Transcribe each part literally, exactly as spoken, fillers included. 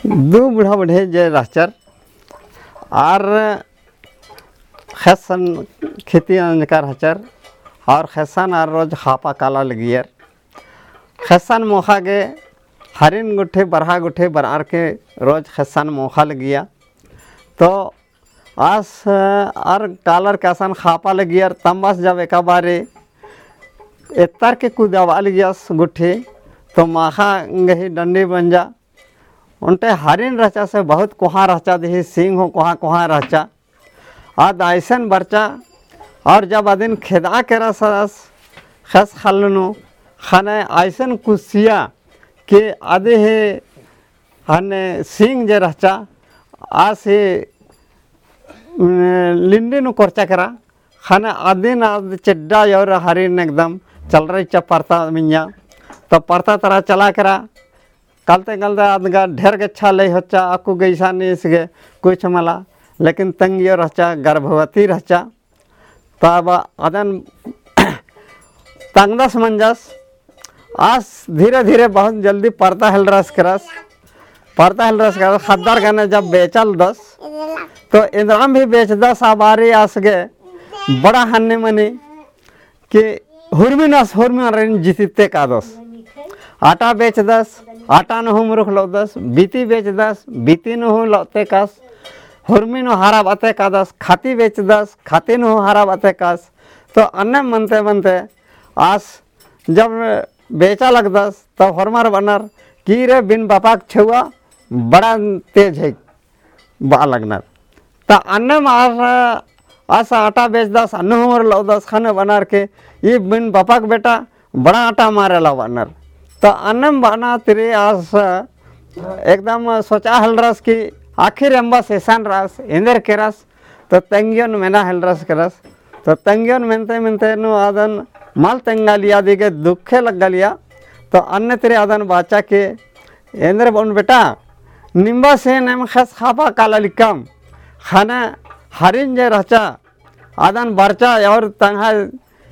दू बूढ़ा बूढ़े जे रहचर, आर ख़ेस्सन खेती नंजकर रहचर, और ख़ेस्सन आर रोज ख़ापा काला लगियर। ख़ेस्सन मोख़ा गे हरिन गुट्ठी बरहा गुट्ठी बरअर के रोज ख़ेस्सन मोख़ा लगिया। तो आस आर कालर के असन ख़ापा लगियर। तम्बास जब एका बारी एत्तर के कुदाबआ लगियस गुट्ठी, तो माख़ा गही डंडी मंजा। ओन्टे हरिन रहचा से बहुत कोहाँ रहचा, देही सींग हूँ कोहाँ कोहाँ रहचा। आद अइसन बरचा, और जब अदिन खेदआ केरस ख़ेस ख़ल्ल नू, ख़ने अइसन कुसिया कि अदिही हन्ने सींग जे रहचा, आस ही, उम, लिंडी नू कोरचा केरा, ख़ने अदिन आद चेड्डा और हरिन एकदम चलरई चा परता मिंजा। तो परता तरा चला केरा, कलते कलते आद गा ढेर गेच्छा लई होच्चा, अक्कु गइसा नीस गे कुछ मला, लेकिन तंग्यो रहचा, गर्भवती रहचा। तब अदन तंगदस मंजस, आस धीरे धीरे बहुत जल्दी परता हेलरस केरस, परता हेलरस केरस, ख़द्दर गने जब बेचा लगदस, तो एन्दराम भी बेचदस, आ बारी आस गे बड़ा हन्नी मनी कि हुरमिन आस हुरमिन अरिन जितिते कादस। आटा बेचदस, आटा नू हूँ मुरुख लउदस, बीती बेचदस, बीती नू हूँ लउते कास, हुरमी नू हरा बाते कादस, खाती बेचदस, खाती नू हूँ हरा बाते कास। तो अन्ने मनते मनते आस जब बेचा लगदस, तो होरमर बअनर कि रे बिन बापक छेउवा बड़ा तेज है बआ लगनर। त अन्नेम आस, आस आटा बेचदस, अन्ने हूँ लउदस, ख़ने बअनर कि ई बिन बापक बेटा बड़ा आटा मारेला बअनर। त अन्नेम बअना तिरी आस एकदम सोचा हेलरस कि आखिर एम्बस एसन रअस, एन्देर केरस, तो तंग्योन मेना हेलरस केरस। तो तंग्योन मेनते मेनते नू आदन मल तंगालिया, अदिगे दुखे लग्गालिया। तो अन्ने तिरी आदन बाचा कि एन्देर बओन बेटा, निम्बासेन एम ख़ेस ख़ापा काला लिक्कम, ख़ने हरिन जे रहचा, आदन बरचा और तंग्है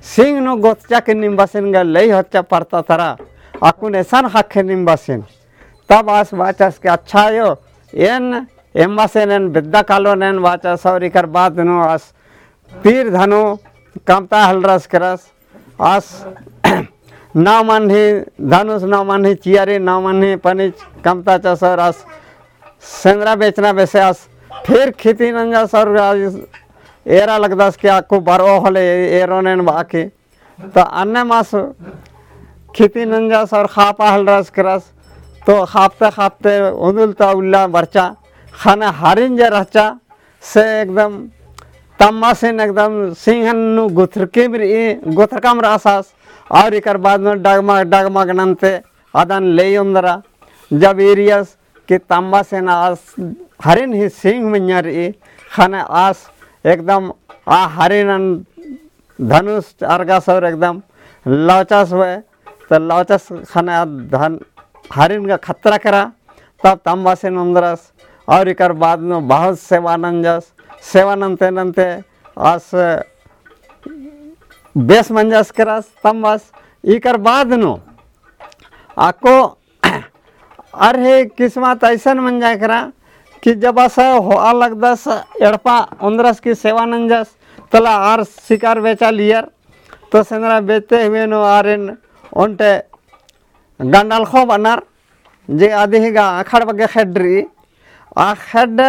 सींग नू गोतचा कि निम्बासेन गा लई होच्चा परता तरा, अक्कुन एसन ख़क्खे निम्बासेन। तब आस बाचस कि अच्छा आयो, एन एम्बासेन एन बेद्दा कालोन एन बाचस। और इकर बाद नू आस तीर धनु कमता हेलरस केरस। आस नौ मन्ही धनुस, नौ मन्ही चियारी, नौ मन्ही पनिच कमता चस और आस सेंदरा बेचना बेसे आस फिर खेती नंजस और आस एरा लगदस कि अक्कु बरओ होले एरोन एन बआ की। तो अन्नेम आस खेती नंजस और ख़ापा हेलरस केरस। तो ख़ापते ख़ापते उन्दुल ता उल्ला बरचा, ख़ने हरिन जे रहचा से एकदम तम्बासेन एकदम सींगन नू गुथरकिम रई, गुथरकम रअस आस। और इकर बाद नू डगमग डगमग नन्ते आदन लई ओन्दरा। जब ईरियस कि तम्बासेन आस हरिन ही सींग मइय्याँ रई, ख़ने आस एकदम आ हरिनन धनुस अरगस और एकदम लौचस होय। तो लौचस ख़ने आ धन हरिन गा खतरा केरा। तब तम्बासेन ओन्दरस और इकर बाद नू बहुत सेवा नंजस। सेवा नन्ते नन्ते आस बेस मंजस केरस तम्बास। इकर बाद नू अक्कु अर हे किस्मत अइसन मंजा केरा कि जब आस होआ लगदस एड़पा ओन्दरस की सेवा नंजस, तला आर शिकार बेचा लियर। तो सेंदरा बेचते हुए नू आरिन ओन्टे गंडालखो बअनर, जे अदिही गा अखड़ बग्गे खेड्ड रई। आ खेड्ड,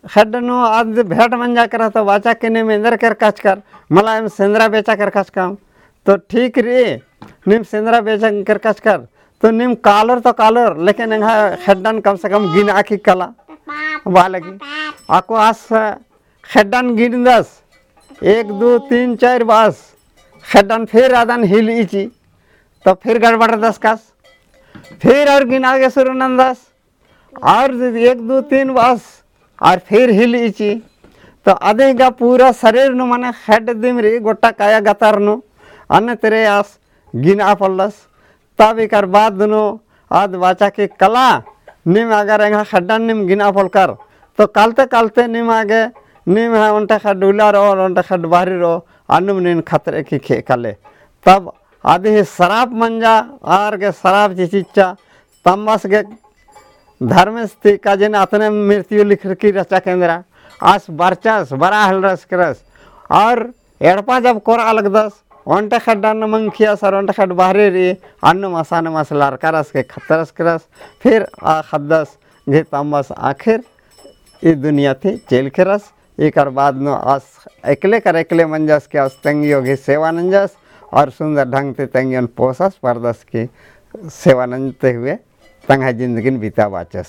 खेड्ड नू आद भेंट मंजा केरा तो बाचा कि नीम एन्देर केरकचकर, मला एम सेंदरा बेचा केरकचकम। तो ठीक रई, नीम सेंदरा बेचा केरकचकर, तो नीम कालोर तो कालोर, लेकिन एंग्है खेड्डन कम से कम गिनआ की कला बआ लगी। अक्कु आस खेड्डन गिनदस, एक, दू, तीन, चार बअस, खेड्डन फिर आदन हिलइची, तो फिर गड़बड़दस कस, फिर और गिनआ गे शुरू नन्दस, और एक, दू, तीन बअस, और फिर हिलइची। तो अदिही गा पूरा शरीर नू मने खेड्ड दिम रई, गोट्टा काया गतर नू, अन्ने तेरे आस गिनआ पोल्लस। तब इकर बाद नू आद बाचा कि कला, नीम अगर एंग्है खेड्डन नीम गिनआ पोल्लकर, तो कलते कलते नीम आगे, नीम है ओन्टे खेड्ड उल्ला रओ और ओन्टे खेड्ड बहरी रओ, अन्नुम नीन खतरे की खे कले। तब अदिही सराप मंजा, आर गे सराप चिचिच्चा, तम्बास गे धर्मेस ती काजेन अतने मृत्यु लिखरकी रहचा केंद्रा, आस बरचस, बरआ हेलरस केरस, और एड़पा जब कोरआ लगदस, ओन्टे खड्ड अन्न मंखियस और ओन्टे खड्ड बहरे रई, अन्नुम असानुम आस लरकारस के खतरस केरस, फिर आ खद्दस घी तम्बस आखिर ई दुनिया ती चेल केरस। एकर बाद नू आस एकले कर एकले मंजस के आस तेंगियो घी सेवा नंजस और सुंदर ढंग ती तेंगियोन पोसस परदस की सेवा नंजते हुए तंग्है जिंदगिन बिताबाचस।